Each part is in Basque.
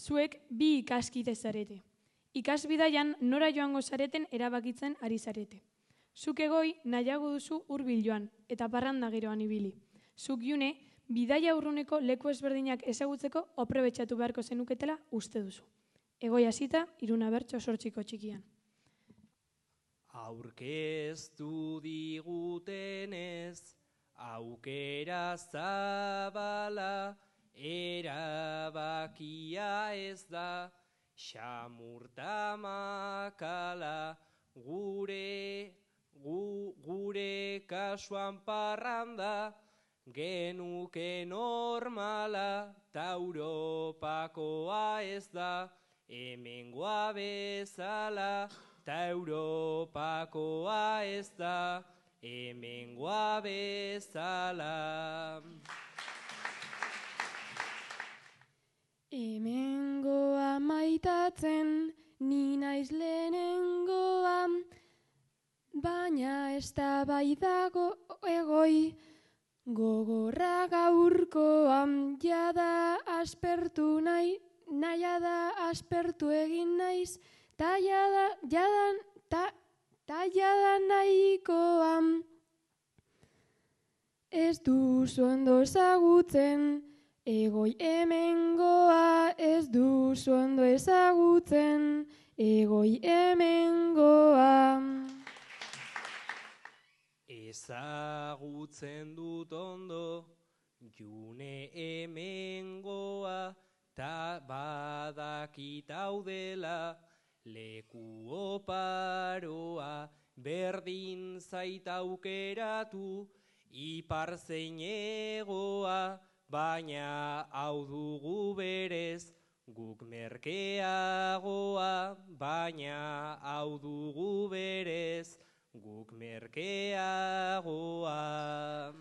zuek bi ikaskide zarete. Ikasbidaian nora joango zareten erabakitzen ari zarete. Zuk Egoi nahiago duzu hurbil joan eta parranda geroan ibili. Zuk June bidaia urruneko leku ezberdinak ezagutzeko aprobetxatu beharko zenuketela uste duzu. Egoi hasita, Iruna bertso sortziko txikian. Aurkeztu digutenez, aukera zabala, erabakia ez da, xamurta makala, gure kasuan parranda, genuke normala, ta Europakoa ez da, hemengoa bezala, ta Europakoa ez da, hemengoa bezala. Hemengoa maitatzen, ni naiz lehenengoa, baina ez da bai dago Egoi, gogorra gaurkoa, jada aspertu nahiada aspertu egin naiz, ta jada nahikoa. Ez duzu ondo ezagutzen, Egoi hemengoa, ez duzu ondo ezagutzen, Egoi hemengoa. Ezagutzen dut ondo, June hemengoa, ta badakit hau dela, leku oparoa, berdin zait aukeratu, ipar zein hegoa, baina hau dugu berez, guk merkeagoa, baina hau dugu berez, guk merkeagoa.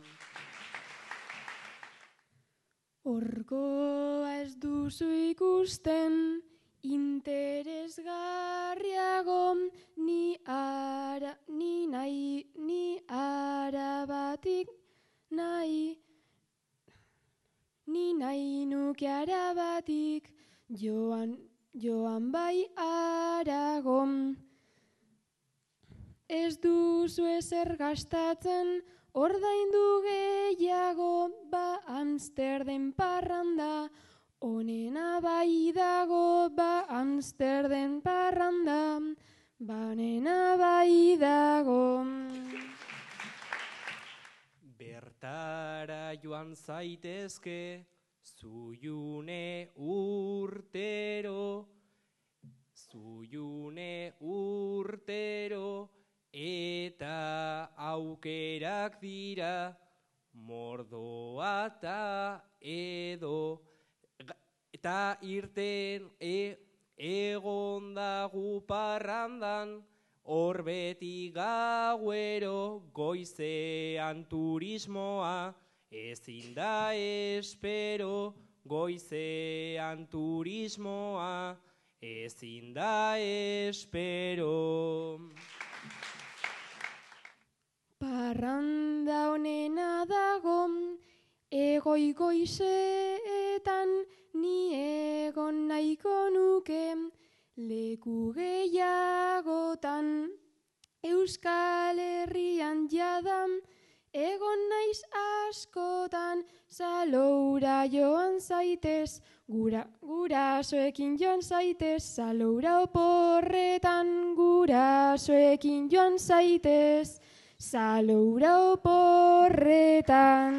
Horkoa ez duzu ikusten, interesgarriago, ni arabatik nahi, ni nahi nuke arabatik, joan bai Aragon. Ez duzu ezer gastatzen, ordaindu gehiago, ba Amsterden parranda, onena bai dago, ba Amsterden parranda, banena bai dago. Bertara joan zaitezke, zu June urtero, eta aukerak dira, Mordoa ta edo, eta irten egondagu parrandan, hor beti gauero, goizean turismoa, ezin da espero, goizean turismoa, ezin da espero. Parranda honena dago, Egoi goizetan, ni egon nahiko nuke, leku gehiagotan. Euskal Herrian jada, egon naiz askotan, Zaloura joan zaitez, gurasoekin joan zaitez, Zaloura oporretan, gurasoekin joan zaitez, Zaloura oporretan.